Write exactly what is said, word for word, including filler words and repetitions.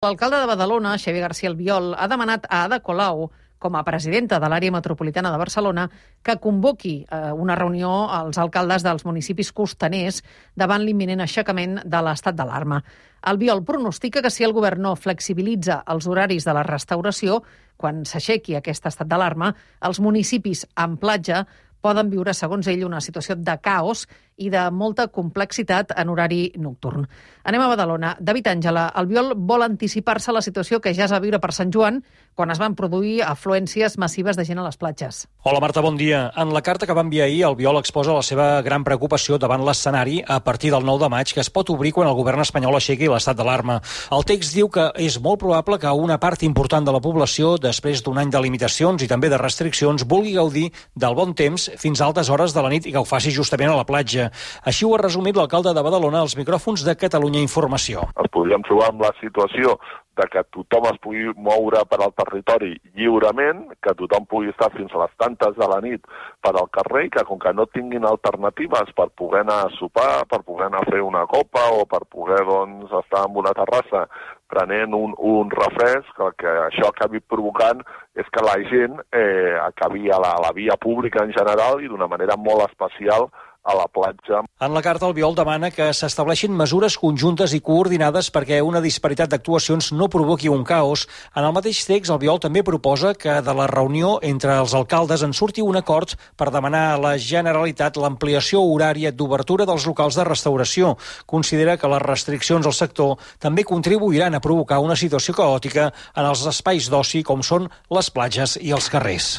L'alcalde de Badalona, Xavier García Albiol, ha demanat a Ada Colau, com a presidenta de l'àrea metropolitana de Barcelona, que convoqui eh, una reunió als alcaldes dels municipis costaners davant l'imminent aixecament de l'estat d'alarma. Albiol pronostica que si el govern no flexibilitza els horaris de la restauració, quan s'aixequi aquest estat d'alarma, els municipis amb platja poden viure, segons ell, una situació de caos i de molta complexitat en horari nocturn. Anem a Badalona. David Àngela, Albiol vol anticipar-se a la situació que ja es va viure per Sant Joan, quan es van produir afluències massives de gent a les platges. Hola Marta, bon dia. En la carta que va enviar ahir, Albiol exposa la seva gran preocupació davant l'escenari a partir del nou de maig, que es pot obrir quan el govern espanyol aixequi l'estat d'alarma. El text diu que és molt probable que una part important de la població, després d'un any de limitacions i també de restriccions, vulgui gaudir del bon temps fins a altes hores de la nit i que ho faci justament a la platja. Així ho ha resumit l'alcalde de Badalona als micròfons de Catalunya Informació. Ens podríem trobar amb la situació de que tothom es pugui moure per al territori lliurement, que tothom pugui estar fins a les tantes de la nit per al carrer, que com que no tinguin alternatives per poder anar a sopar, per poder anar a fer una copa o per poder doncs, estar en una terrassa prenent un, un refresc, el que això acabi provocant és que la gent eh, acabi a la, a la via pública en general i d'una manera molt especial a la platja. En la carta, Albiol demana que s'estableixin mesures conjuntes i coordinades perquè una disparitat d'actuacions no provoqui un caos. En el mateix text, Albiol també proposa que de la reunió entre els alcaldes en surti un acord per demanar a la Generalitat l'ampliació horària d'obertura dels locals de restauració. Considera que les restriccions al sector també contribuiran a provocar una situació caòtica en els espais d'oci com són les platges i els carrers.